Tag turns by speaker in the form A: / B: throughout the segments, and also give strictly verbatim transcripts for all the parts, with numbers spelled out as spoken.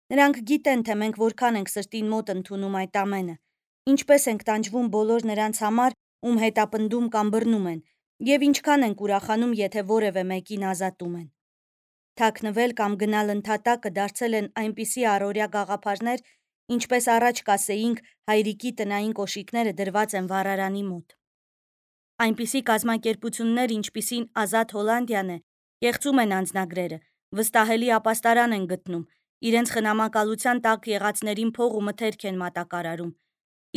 A: Նրանք գիտեն, թե մենք որքան ենք սրտին մոտ ընդունում այդ ամենը, ինչպես ենք տանջվում բոլոր նրանց համար, ում հետապնդում կամ բռնում են, եւ ինչքան ենք ուրախանում, եթե որևէ մեկին ազատում են։ Թաքնվել կամ գնալ ընդհատակը դարձել են այնպիսի առօրյա գաղափարներ, ինչպես առաջ կասեինք, հայրիկի տնային կոշիկները դրված են վառարանի մոտ։ Այնպիսի կազմակերպություններ, ինչպիսին Ազատ Հոլանդիան է, կեղծում են անձնագրերը, վստահելի ապաստարան են գտնում, իրենց խնամակալության տակ եղածներին փող ու մթերք են մատակարարում,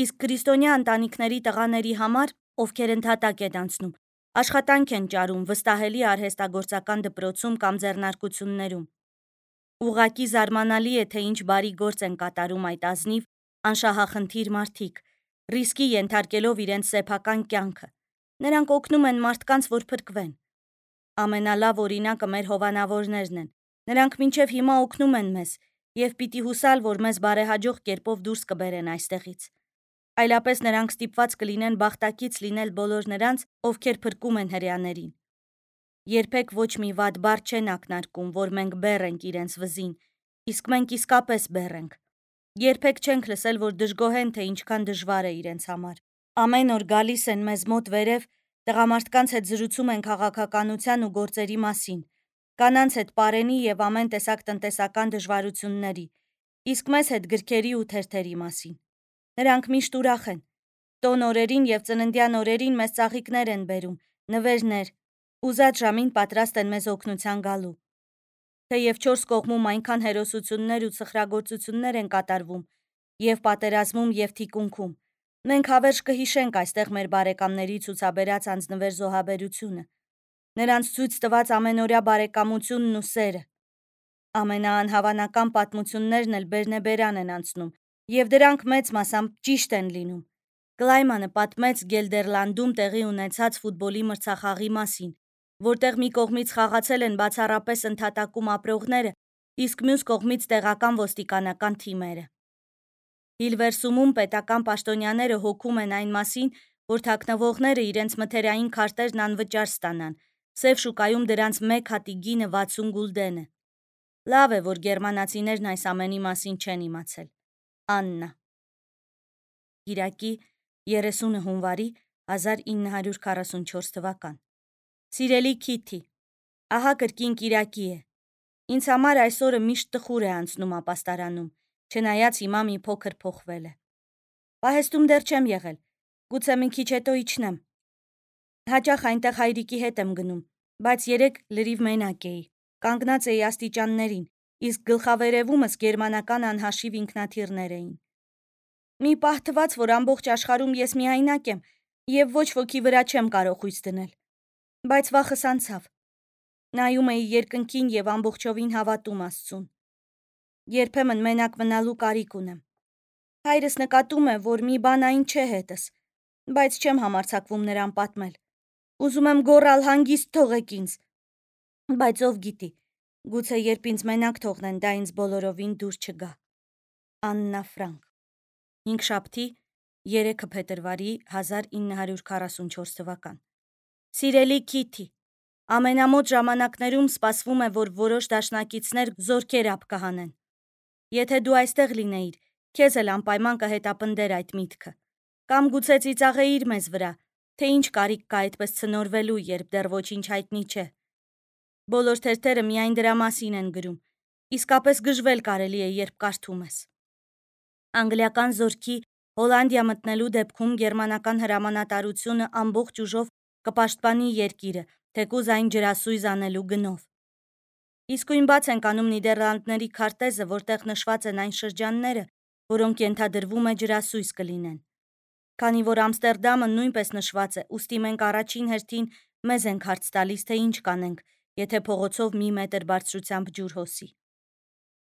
A: իսկ քրիստոնյա ընտանիքների տղաների համար, ովքեր ընդհատակ են անցնում, աշխատանք են ճարում վստահելի արհեստագործական դպրոցում կամ ձեռնարկություններում։ Ուղղակի զարմանալի է, թե ինչ բարի գործ են կատարում այդ ազնիվ, անշահախնդիր մարդիկ, ռիսկի ենթարկելով իրենց սեփական կյանքը։ Նրանք օգնում են մարդկանց, որ փրկվեն։ Ամենալավ օրինակը մեր հովանավորներն են։ Նրանք մինչև հիմա օգնում են մեզ եւ պիտի հուսալ, որ մեզ բարեհաջող կերպով դուրս կբերեն այստեղից։ Այլապես նրանք ստիպված կլինեն բախտակից լինել բոլոր նրանց, ովքեր փրկում են հրեաներին։ Երբեք ոչ մի վատ բառ չեն ակնարկում, որ մենք բեռ ենք իրենց վզին, իսկ մենք իսկապես բեռ ենք։ Երբեք չենք լսել, որ դժգոհեն, թե ինչքան դժվար է իրենց համար։ Ամեն օր գալիս են մեզ մոտ վերև, տղամարդկանց հետ զրուցում են քաղաքականության ու գործերի մասին, կանանց հետ պարենի եւ ամեն տեսակ տնտեսական դժվարությունների, իսկ մեզ հետ գրքերի ու թերթերի մասին։ Նրանք միշտ ուրախ են։ Տոն օրերին եւ ծննդյան օրերին մեզ ծաղիկներ են բերում, նվերներ, ուզած ժամին պատրաստ են մեզ օգնության գալու։ Թեև չորս կողմում այնքան հերոսություններ ու ցխրագործություններ են կատարվում, եւ պատերազմում եւ թիկունքում, մենք հավերժ կհիշենք այստեղ մեր բարեկամների ցուցաբերած անձնվեր զոհաբերությունը, նրանց ցույց տված ամենօրյա բարեկամությունն ու սերը։ Ամենաանհավանական պատմություններն էլ բերնեբերան են անցնում, եւ դրանք մեծ մասամբ ճիշտ են լինում։ Կլայմանը պատմեց Գելդերլանդում տեղի ունեցած ֆուտբոլի մրցախաղի մասին, որտեղ մի կողմից խաղացել են բացառապես ընդհատակում ապրողները, իսկ մյուս կողմից տեղական ոստիկանական թիմերը։ Հիլվերսումում պետական պաշտոնյաները հոգում են այն մասին, որ թաքնվողները իրենց մթերային քարտերն անվճար ստանան, սև շուկայում դրանց մեկ հատի գինը վաթսուն գուլդեն է։ Լավ է, որ գերմանացիներն այս ամենի մասին չեն իմացել։ Աննա։ Կիրակի երեսունը հունվարի հազար ինը հարյուր քառասունչորս թվական։ Սիրելի Քիթի, ահա կրկին կիրակի է։ Ինձ համար այսօրը միշտ տխուր է անցնում ապաստարանում, չնայած հիմա մի փոքր փոխվել է։ Պահեստում դեռ չեմ եղել, գուցե մի քիչ հետո իջնեմ։ Հաճախ այնտեղ հայրիկի հետ եմ գնում, բայց երեկ լրիվ մենակ էի, կանգնած էի աստիճաններին, իսկ գլխավերևումս գերմանական անհաշիվ ինքնաթիռներ էին։ Մի պահ թվաց, որ ամբողջ աշխարհում ես միայնակ եմ եւ ոչ ոքի վրա չեմ կարող հույս դնել։ Բայց վախս անցավ։ Նայում էի երկնքին եւ ամբողջովին հավատում Աստծուն։ Երբեմն մենակ մնալու կարիք ունեմ։ Հայրս նկատում է, որ մի բան այն չէ հետս, բայց չեմ համարձակվում նրան պատմել։ Ուզում եմ գոռալ հանգիստ թողեք ինձ։ Բայց ով գիտի, գուցե երբ ինձ մենակ թողնեն, դա ինձ բոլորովին դուր չգա։ Աննա Ֆրանկ։ Հինգշաբթի երեքը փետրվարի հազար ինը հարյուր քառասունչորս թվական։ Սիրելի Քիթի, ամենամոտ ժամանակներում սպասվում է, որ որոշ դաշնակիցներ զորքեր ափ կհանեն։ Եթե դու այստեղ լինեիր, քեզ էլ անպայման կհետապնդեր այդ միտքը։ Կամ գուցե ծիծաղեիր մեզ վրա, թե ինչ կարիք կա այդպես ցնորվելու, երբ դեռ ոչինչ հայտնի չէ։ Բոլոր թերթերը միայն դրա մասին են գրում, իսկապես գժվել կարելի է, երբ կարդում ես։ Անգլիական զորքի Հոլանդիա մտնելու դեպքում գերմանական հրամանատարությունը ամբողջ ուժով կպաշտպանի երկիրը, թեկուզ այն ջրասույզ անելու գնով։ Իսկույն բաց ենք անում Նիդերլանդների քարտեզը, որտեղ նշված են այն շրջանները, որոնք ենթադրվում է ջրասույզ կլինեն։ Քանի որ Ամստերդամը նույնպես նշված է, ուստի մենք առաջին հերթին մեզ ենք հարց տալիս, թե ինչ կանենք, եթե փողոցով մի մետր բարձրությամբ ջուր հոսի։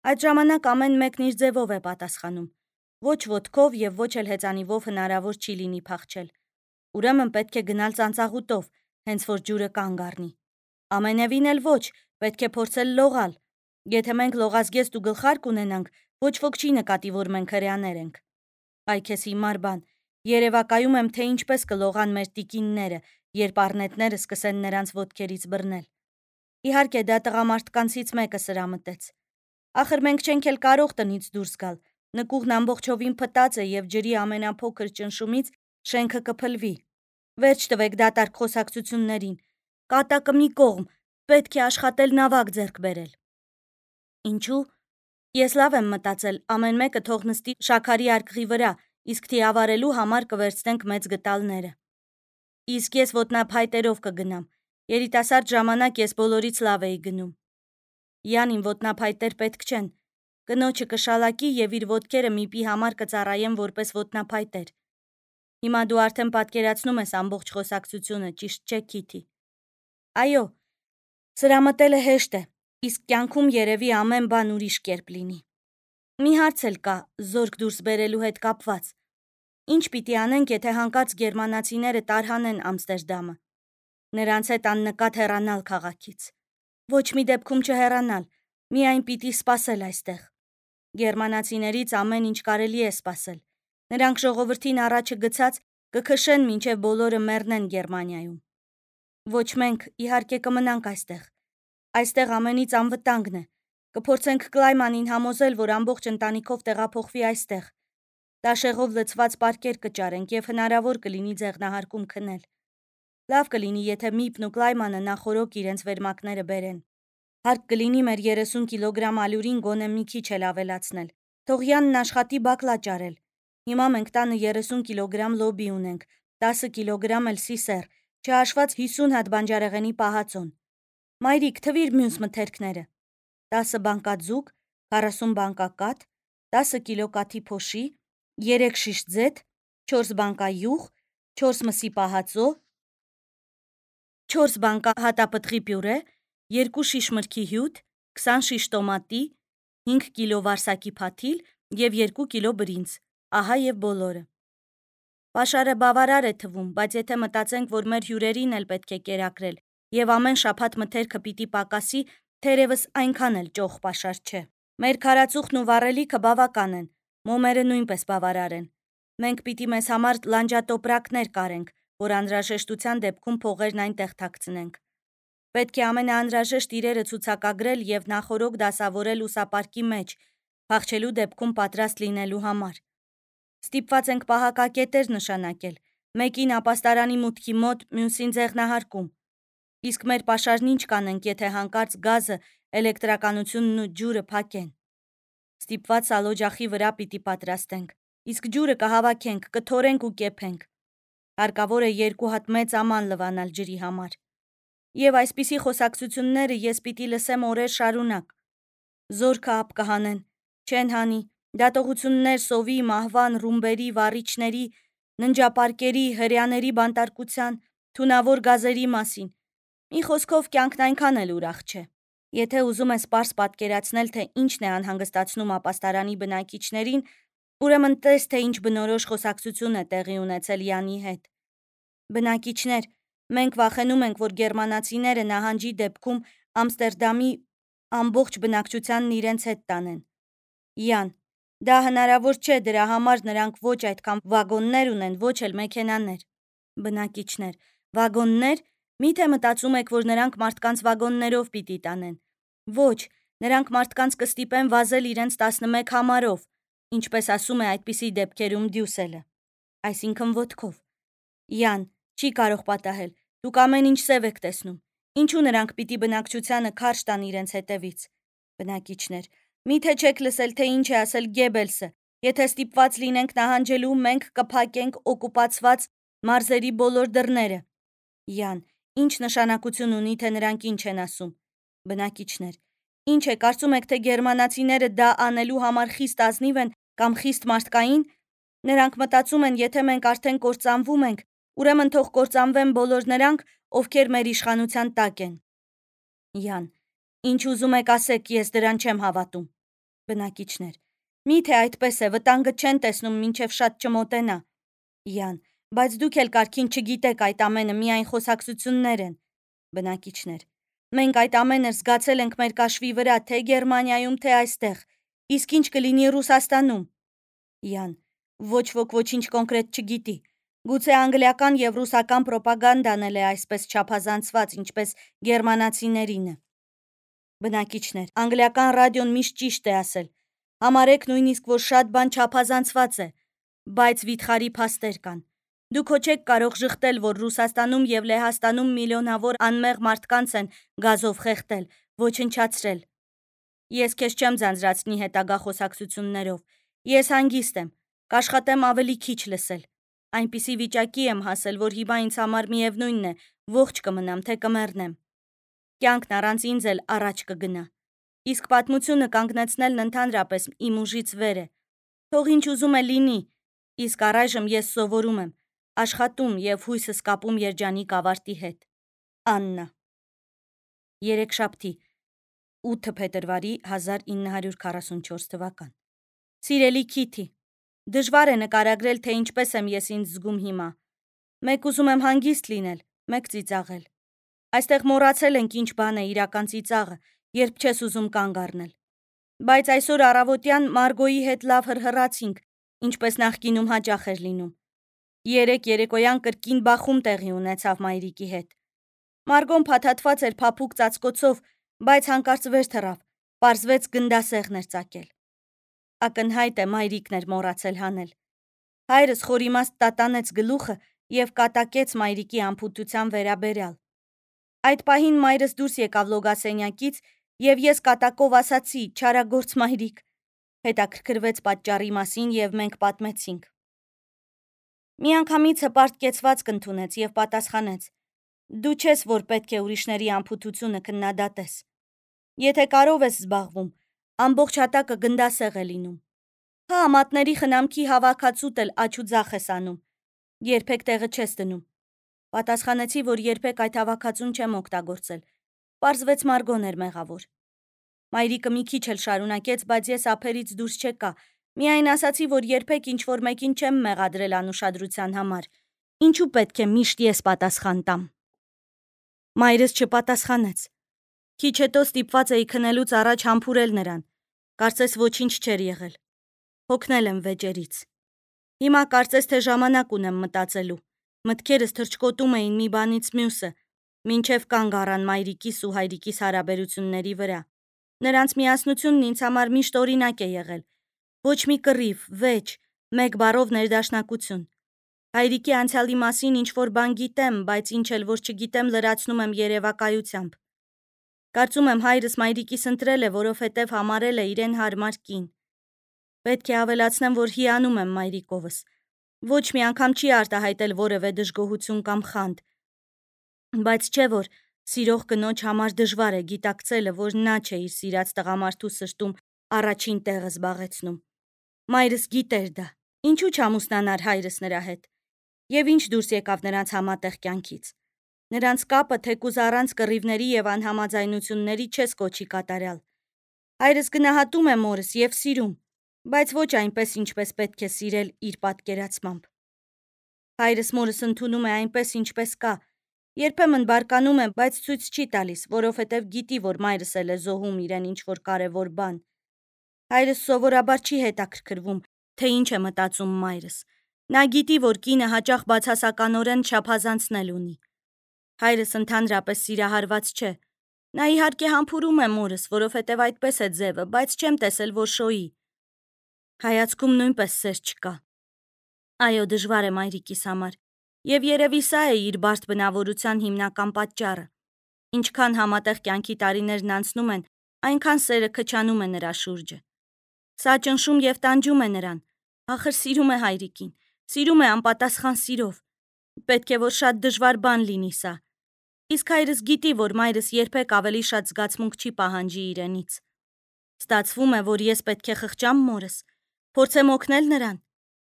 A: Այդ ժամանակ ամեն մեկն իր ձևով է պատասխանում։ Ոչ ոտքով եւ ոչ էլ հեծանիվով հնարավոր չի լինի փախչել։ Ուրեմն պետք է գնալ ծանծաղուտով, հենց որ ջուրը կանգ առնի։ Ամենևին էլ ոչ, պետք է փորձել լողալ։ Եթե մենք լողազգեստ ու գլխարկ ունենանք, ոչ ոք չի նկատի, որ մենք հրեաներ ենք։ Այ քեզ հիմար բան, երևակայում եմ, թե ինչպես կլողան մեր տիկինները, երբ առնետները սկսեն նրանց ոտքերից բռնել։ Իհարկե դա տղամարդկանցից մեկը սրամտեց։ Ախր մենք չենք էլ կարող տնից դուրս գալ, նկուղն ամբողջովին փտած է և ջրի ամենափոքր ճնշումից շենքը կփլվի, վերջ տվեք դատարկ խոսակցություններին, կատակը մի կողմ, պետք է աշխատել նավակ ձեռք բերել։ Ինչու՞։ Ես լավ եմ մտածել, ամեն մեկը թող նստի շաքարի արկղի վրա, իսկ թիավարելու համար կվերցնենք մեծ գտալները։ Իսկ ես ոտնափայտերով կգնամ, երիտասարդ ժամանակ ես բոլորից լավ էի գնում։ Յանին ոտնափայտեր պետք չեն, կնոջը կշալակի և իր ոտքերը միպի համար կծառայեն որպես ոտնափայտեր։ Հիմա դու արդեն պատկերացնում ես ամբողջ խոսակցությունը, ճիշտ չէ, Քիթի։ Այո, սրամտելը հեշտ է, իսկ կյանքում երևի ամեն բան ուրիշ կերպ լինի։ Մի հարց էլ կա, զորք դուրս բերելու հետ կապված։ Ինչ պիտի անենք, եթե հանկարծ գերմանացիները տարհանեն Ամստերդամը։ Նրանց հետ աննկատ հեռանալ քաղաքից։ Ոչ մի դեպքում չհեռանալ, միայն պիտի սպասել այստեղ։ Գերմանացիներից ամեն ինչ կարելի է սպասել։ Նրանք ժողովրդին առաջը գցած կքշեն մինչև բոլորը մեռնեն Գերմանիայում։ Ոչ մենք, իհարկե, կմնանք այստեղ։ Այստեղ ամենից անվտանգն է։ Կփորձենք Կլայմանին համոզել, որ ամբողջ ընտանիքով տեղափոխվի այստեղ։ Տաշեղով լցված պարկեր կճարենք և հնարավոր կլինի ձեղնահարկում քնել։ Լավ կլինի, եթե Միպն ու Կլայմանը նախօրոք իրենց վերմակները բերեն։ Հարկ կլինի մեր երեսուն կիլոգրամ ալյուրին գոնե մի քիչ էլ ավելացնել։ Թող Յանն աշխատի բակլա ճարել։ Հիմա մենք տանը երեսուն կիլոգրամ լոբի ունենք, տասը կիլոգրամ էլ սիսեռ, չհաշված հիսուն հատ բանջարեղենի պահածոն։ Մայրիկ, թվիր մյուս մթերքները։ տասը բանկա ձուկ, քառասուն բանկա կաթ, տասը կիլո կաթի փոշի, երեք շիշ ձեթ, չորս բանկա յուղ, չորս մսի պահածո, չորս բանկա հատապտղի պյուրե, երկու շիշ մրգի հյութ, քսան շիշ տոմատի, հինգ կիլո վարսակի փաթիլ և երկու կիլո բրինձ, ահա և բոլորը։ Պաշարը բավարար է թվում, բայց եթե մտածենք, որ մեր հյուրերին էլ պետք է կերակրել և ամեն շաբաթ մթերքը պիտի պակասի, թերևս այնքան էլ ճոխ պաշար չէ։ Մեր քարածուխն ու վառելիքը բավական են, մոմերը նույնպես բավարար են։ Մենք պիտի մեզ համար լանջատոպրակներ կարենք, որ անհրաժեշտության դեպքում փողերն այնտեղ թաքցնենք։ Պետք է ամենաանհրաժեշտ իրերը ցուցակագրել և նախօրոք դասավորել ուսապարկի մեջ, փախչելու դեպքում պատրաստ լինելու համար։ Ստիպված ենք պահակակետեր նշանակել, մեկին ապաստարանի մուտքի մոտ, մյուսին ձեղնահարկում։ Իսկ մեր պաշարն ինչ կանենք, եթե հանկարծ գազը, էլեկտրականությունն ու ջուրը փակեն։ Ստիպված սալօջախի վրա պիտի պատրաստենք, իսկ ջուրը կհավաքենք, կթորենք ու կեփենք։ Հարկավոր է երկու հատ մեծ աման լվանալ ջրի համար։ Եվ այսպիսի խոսակցությունները ես պիտի լսեմ օրեր շարունակ։ Զորքը ափ կհանեն, չեն հանի, դատողություններ սովի, մահվան, ռումբերի, վառիչների, ննջապարկերի, հրեաների բանտարկության, թունավոր գազերի մասին։ Մի խոսքով կյանքն այնքան էլ ուրախ չէ։ Եթե ուզում ես պարզ պատկերացնել, թե ինչն է անհանգստացնում ապաստարանի բնակիչներին, ուրեմն տես, թե ինչ բնորոշ խոսակցություն է տեղի ունեցել Յանի հետ։ Բնակիչներ, մենք վախենում ենք, որ գերմանացիները նահանջի դեպքում Ամստերդամի ամբողջ բնակչությանն իրենց հետ տանեն։ Յան, դա հնարավոր չէ, դրա համար նրանք ոչ այդքան վագոններ ունեն, ոչ էլ մեքենաներ։ Բնակիչներ, վագոննե՞ր, միթե մտածում եք, որ նրանք մարդկանց վագոններով պիտի տանեն։ Ոչ, նրանք մարդկանց կստիպեն վազել իրենց տասնմեկ համարով, ինչպես ասում է այդպիսի դեպքերում Դյուսելը, այսինքն ոտքով։ Յան, չի կարող պատահել, դուք ամեն ինչ սև եք տեսնում։ Ինչու նրանք պիտի բնակչությանը քարշ տան իրենց հետևից։ Բնակիչներ, միթե չեք լսել, թե ինչ է ասել Գեբելսը, եթե ստիպված լինենք նահանջելու, մենք կփակենք օկուպացված մարզերի բոլոր դռները։ Յան, ինչ նշանակություն ունի, թե նրանք ինչ են ասում։ Բնակիչներ, ինչ է, կարծում եք, թե գերմանացիները դա անելու համար խիստ ազնիվ են կամ խիստ մարդկային։ Նրանք մտածում են, եթե մենք արդեն կործանվում ենք, ուրեմն թող կործանվեն բոլոր նրանք, ովքեր մեր իշխանության տակ են։ Յան, ինչ ուզում եք ասեք, ես դրան չեմ հավատում։ Բնակիչներ, միթե այդպես է, վտանգը չեն տեսնում, մինչև շատ չմոտենա։ Յան, բայց դուք էլ կարգին չգիտեք, այդ ամենը միայն խոսակցություններ են։ Բնակիչներ, մենք այդ ամենը զգացել ենք մեր կաշվի վրա, թե Գերմանիայում, թե այստեղ, իսկ ինչ կլինի Ռուսաստանում։ Յան, ոչ ոք ոչինչ կոնկրետ չգիտի։ Գուցե անգլիական և ռուսական պրոպագանդան էլ է այսպես չափազանցված, ինչպես գերմանացիներինը։ Բնակիչներ, անգլիական ռադիոն միշտ ճիշտ է ասել։ Համարեք նույնիսկ, որ շատ բան չափազանցված է, բայց վիթխարի փաստեր կան։ Դուք հո չեք կարող ժխտել, որ Ռուսաստանում եւ Լեհաստանում միլիոնավոր անմեղ մարդկանց են գազով խեղդել, ոչնչացրել։ Ես քեզ չեմ ձանձրացնի հետագա խոսակցություններով։ Ես հանգիստ եմ, կաշխատեմ ավելի քիչ լսել։ Այնպիսի վիճակի եմ հասել, որ հիմա ինձ համար միևնույնն է, ողջ կմնամ, թե կմեռնեմ։ Կյանքն առանց ինձ էլ առաջ կգնա։ Իսկ պատմությունը կանգնեցնելն ընդհանրապես իմ ուժից վեր է։ Թող ինչ ուզում է լինի, իսկ առայժմ ես սովորում եմ, աշխատում եւ հույսս կապում երջանիկ ավարտի հետ։ Աննա։ Երեքշաբթի, ութ փետրվարի հազար ինը հարյուր քառասունչորս թվական։ Սիրելի Քիթի, դժվար է նկարագրել, թե ինչպես եմ ես ինձ զգում հիմա։ Մեկ ուզում եմ հանգիստ լինել, մեկ ծիծաղել։ Այստեղ մոռացել ենք ինչ բան է իրական ծիծաղը, երբ չես ուզում կանգ առնել։ Բայց այսօր առավոտյան Մարգոյի հետ լավ հրհրացինք, ինչպես նախկինում հաճախ էր լինում։ Երեք երեկոյան կրկին բախում տեղի ունեցավ մայրիկի հետ։ Մարգոն փաթաթված էր փափուկ ծածկոցով, բայց հանկարծ վեր թռավ, պարզվեց գնդասեղն էր ծակել։ Ակնհայտ է մայրիկն էր մոռացել հանել։ Հայրս խորիմաստ տատանեց գլուխը եւ կատակեց մայրիկի անփութության վերաբերյալ։ Այդ պահին մայրս դուրս եկավ լոգասենյակից եւ ես կատակով ասացի՝ «Չարագործ մայրիկ», հետաքրքրվեց պատճառի մասին եւ մենք պատմեցինք։ Միանգամից հպարտ կեցվածք ընդունեց եւ պատասխանեց. «Դու չես, որ պետք է ուրիշների անփութությունը քննադատես։ Եթե կարով ես զբաղվում, ամբողջ հատակը գնդասեղ է լինում։ Հա, մատների խնամքի հավաքածուտ էլ աչ ու ձախ ես անում։ Երբեք տեղը չես դնում»։ Պատասխանեցի, որ երբեք այդ հավաքածուն չեմ օգտագործել։ Պարզվեց Մարգոն էր մեղավոր։ Մայրիկը մի քիչ էլ շարունակեց, բայց ես ափերից դուրս չեկա։ Միայն ասացի, որ երբեք ինչ-որ մեկին չեմ մեղադրել անուշադրության համար։ Ինչու պետք է միշտ ես պատասխան տամ։ Մայրս չպատասխանեց։ Քիչ հետո ստիպված էի քնելուց առաջ համբուրել նրան։ Կարծես ոչինչ չէր եղել։ Հոգնել եմ վեճերից։ Հիմա կարծես թե ժամանակ ունեմ մտածելու։ Մտքերս թռչկոտում էին մի բանից մյուսը, մինչև կանգ առան մայրիկիս ու հայրիկիս հարաբերությունների վրա։ Նրանց միասնությունն ինձ համար միշտ օրինակ է եղել։ Ոչ մի կռիվ, վեճ, մեկ բառով ներդաշնակություն։ Հայրիկի անցյալի մասին ինչ-որ բան գիտեմ, բայց ինչ էլ որ չգիտեմ, լրացնում եմ երևակայությամբ։ Կարծում եմ հայրս մայրիկիս ընտրել է, որովհետև համարել է իրեն հարմար կին։ Պետք է ավելացնեմ, որ հիանում եմ մայրիկովս։ Ոչ մի անգամ չի արտահայտել որևէ դժգոհություն կամ խանդ։ Բայց չէ որ սիրող կնոջ համար դժվար է գիտակցելը, որ նա չէ իր սիրած տղամարդու սրտում առաջին տեղը զբաղեցնում։ Մայրս գիտեր դա։ Ինչու չամուսնանար հայրս նրա հետ։ Եվ ինչ դուրս եկավ նրանց համատեղ կյանքից։ Նրանց կապը թեկուզ առանց կռիվների եւ անհամաձայնությունների չես կոչի կատարյալ։ Հայրս գնահատում է մորս եւ սիրում, բայց ոչ այնպես, ինչպես պետք է սիրել իր պատկերացմամբ։ Հայրս մորս ընդունում է այնպես, ինչպես կա։ Երբեմն բարկանում է, բայց ցույց չի տալիս, որովհետև գիտի, որ մայրս էլ է զոհում իրեն ինչ-որ կարևոր բան։ Հայրս սովորաբար չի հետաքրքրվում, թե ինչ է մտածում մայրս։ Նա գիտի, որ կինը հաճախ բացասականորեն չափազանցնել ունի։ Հայրս ընդհանրապես սիրահարված չէ։ Նա իհարկե համբուրում է մորս, որովհետև այդպես է ձևը, բայց չեմ տեսել, որ շոյի։ Հայացքում նույնպես սեր չկա։ Այո, դժվար է մայրիկիս համար։ Եվ երևի սա է իր բարդ բնավորության հիմնական պատճառը։ Ինչքան համատեղ կյանքի տարիներն անցնում են, այնքան սերը քչանում է նրա շուրջը։ Սա ճնշում եւ տանջում է նրան։ Ախր սիրում է հայրիկին, սիրում է անպատասխան սիրով։ Պետք է որ շատ դժվար բան լինի սա։ Իսկ հայրս գիտի, որ մայրս երբեք ավելի շատ զգացմունք չի պահանջի իրենից։ Ստացվում է, որ ես պետք է խղճամ մորս, փորձեմ օգնել նրան։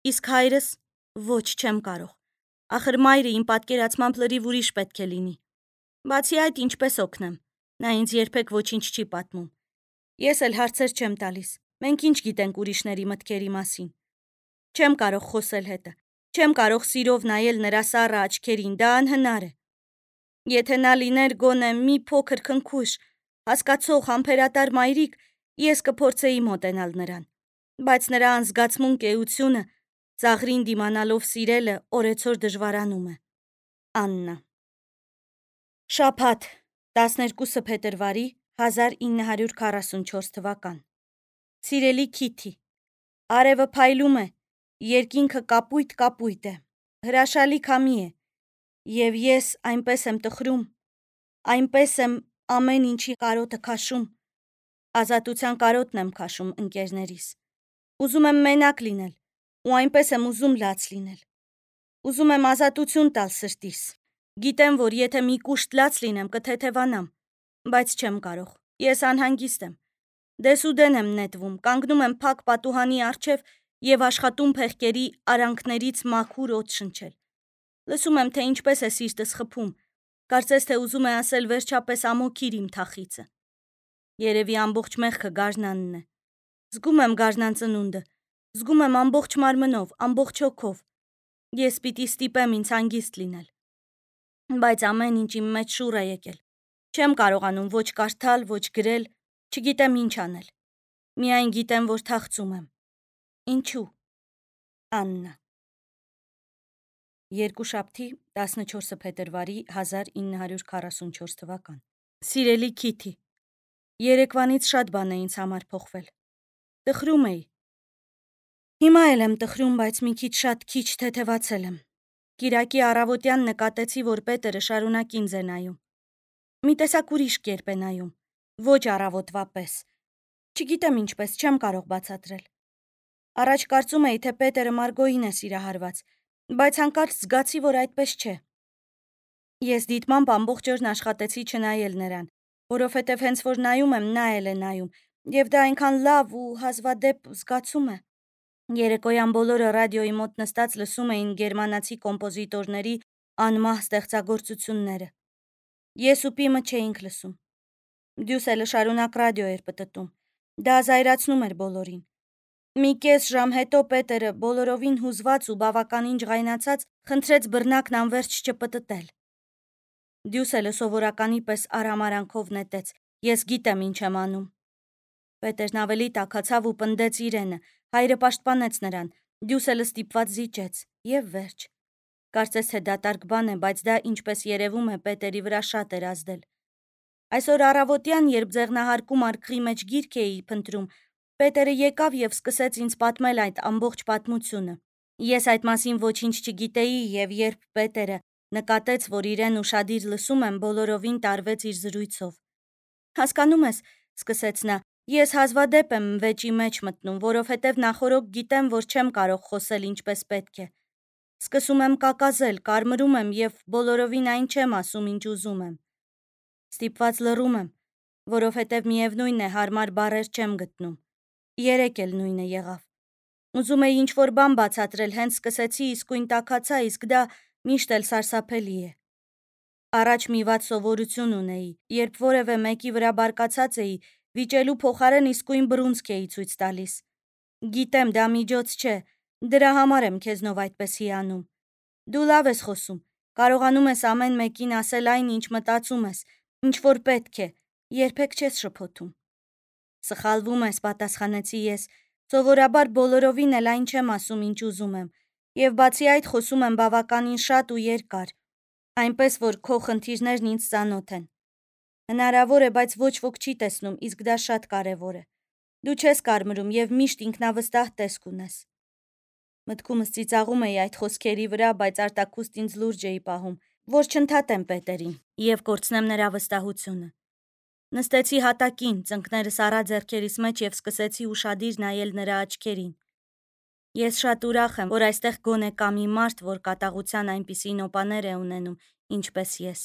A: Իսկ հայրս ոչ, չեմ կարող։ Ախր մայրը իմ պատկերացմամբ լրիվ ուրիշ պետք է լինի։ Բացի այդ, ինչպես օգնեմ։ Նա ինձ երբեք ոչինչ չի պատմում։ Ես էլ հարցեր չեմ տալիս։ Մենք ինչ գիտենք ուրիշների մտքերի մասին։ Չեմ կարող խոսել հետը։ Չեմ կարող սիրով նայել նրա սառը աչքերին, դա անհնար է։ Եթե նա լիներ գոնե մի փոքր քնքուշ, հասկացող, համբերատար մայրիկ, ես կփորձեի մոտենալ նրան։ Բայց նրա անզգացմունք էությունը, ծաղրին դիմանալով սիրելը օրեցօր դժվարանում է։ Աննա։ Շաբաթ, տասներկուսը փետրվարի հազար ինը հարյուր քառասունչորս թվական։ Սիրելի Քիթի, արևը փայլում է, երկինքը կապույտ-կապույտ է, հրաշալի քամի է, և ես այնպես եմ տխրում, այնպես եմ ամեն ինչի կարոտը քաշում, ազատության կարոտն եմ քաշում ընկերներիս, ուզում եմ մենակ լինել, ու այնպես եմ ուզում լաց լինել, ուզում եմ ազատություն տալ սրտիս, գիտեմ, որ եթե մի կուշտ լաց լինեմ, կթեթևանամ, բայց չեմ կարող, ես անհանգիստ եմ, դեսուդեն եմ նետվում, կանգնում եմ փակ պատուհանի առջև և աշխատում փեղկերի արանքներից մաքուր օդ շնչել, լսում եմ, թե ինչպես է սիրտս խփում, կարծես թե ուզում է ասել վերջապես ամոքիր իմ թախիծը, երևի ամբողջ մեղքը գարնանն է, զգում եմ գարնան ծնունդը, զգում եմ ամբողջ մարմնով, ամբողջ հոգով, ես պիտի ստիպեմ ինձ հանգիստ լինել, բայց ամեն ինչ իմ մեջ շուռ է եկել, չեմ կարողանում ոչ կարդալ, ոչ գրել, չգիտեմ ինչ անել, միայն գիտեմ, որ թախծում եմ, ինչու, Աննա։ Երկուշաբթի տասնչորսը փետրվարի հազար ինը հարյուր քառասունչորս թվական։ Սիրելի Քիթի, երեկվանից շատ բան է ինձ համար փոխվել, տխրում էի, հիմա էլ եմ տխրում, բայց մի քիչ շատ քիչ թեթևացել եմ, կիրակի առավոտյան նկատեցի, որ Պետերը շարունակ ինձ է նայում, մի տեսակ ուրիշ կերպ է նայում, ոչ առավոտվա պես, չգիտեմ ինչպես, չեմ կարող բացատրել, առաջ կարծում էի, թե Պետերը Մարգոյին է սիրահարված, բայց հանկարծ զգացի, որ այդպես չէ, ես դիտմամբ ամբողջ օրն աշխատեցի չնայել նրան, որովհետև հենց որ նայում եմ, նա էլ է նայում, և դա այնքան լավ ու հազվադեպ զգացում է, երեկոյան բոլորը ռադիոյի մոտ նստած լսում էին գերմանացի կոմպոզիտորների անմահ ստեղծագործությունները, ես ու Պիմը չէինք լսում, Դյուսելը շարունակ ռադիո էր պտտում, դա զայրացնում էր բոլորին, մի կես ժամ հետո Պետերը բոլորովին հուզված ու բավականին ջղայնացած խնդրեց բռնակն անվերջ չպտտել, Դյուսելը սովորականի պես արհամարանքով նետեց, ես գիտեմ ինչ եմ անում, Պետերն ավելի տաքացավ ու պնդեց իրենը, հայրը պաշտպանեց նրան, Դյուսելը ստիպված զիջեց, և վերջ, կարծես թե դատարկ բան է, բայց դա ինչպես երևում է Պետերի վրա շատ էր ազդել, այսօր առավոտյան, երբ ձեղնահարկում արկղի մեջ գիրք էի փնտրում, Պետերը եկավ և սկսեց ինձ պատմել այդ ամբողջ պատմությունը, ես այդ մասին ոչինչ չգիտեի և երբ Պետերը նկատեց, որ իրեն ուշադիր լսում եմ, բոլորովին տարվեց իր զրույցով, հասկանում ես, սկսեց նա, ես հազվադեպ եմ վեճի մեջ մտնում, որովհետև նախօրոք գիտեմ, որ չեմ կարող խոսել ինչպես պետք է, սկսում եմ կակազել, կարմրում եմ և բոլորովին այն չեմ ասում, ինչ ուզում եմ, ստիպված լռում եմ, որովհետև միևնույն է հարմար բառեր չեմ գտնում, երեկ էլ նույնը եղավ, ուզում էի ինչ-որ բան բացատրել, հենց սկսեցի, իսկույն տաքացա, իսկ դա միշտ էլ սարսափելի է, առաջ մի վատ սովորություն ունեի, երբ որևէ մեկի վրա բարկացած էի, վիճելու փոխարեն իսկույն բռունցք էի ցույց տալիս, գիտեմ դա միջոց չէ, դրա համար եմ քեզնով այդպես հիանում, դու լավ ես խոսում, կարողանում ես ամեն մեկին ասել այն, ինչ մտածում ես, ինչ որ պետք է, երբեք չես շփոթում, սխալվում ես, պատասխանեցի ես, սովորաբար բոլորովին էլ այն չեմ ասում, ինչ ուզում եմ, և բացի այդ խոսում եմ բավականին շատ ու երկար, այնպես որ քո խնդիրներն ինձ ծանոթ են, հնարավոր է, բայց ոչ ոք չի տեսնում, իսկ դա շատ կարևոր է, դու չես կարմրում և միշտ ինքնավստահ տեսք ունես, մտքումս ծիծաղում էի այդ խոսքերի վրա, բայց արտաքուստ ինձ լուրջ էի պահում, որ չընդհատեմ Պետերին և կորցնեմ նրա վստահությունը, նստեցի հատակին, ծնկներս առա ձեռքերիս մեջ և սկսեցի ուշադիր նայել նրա աչքերին, ես շատ ուրախ եմ, որ այստեղ գոնե կա մի մարդ, որ կատաղության այնպիսի նոպաներ է ունենում, ինչպես ես,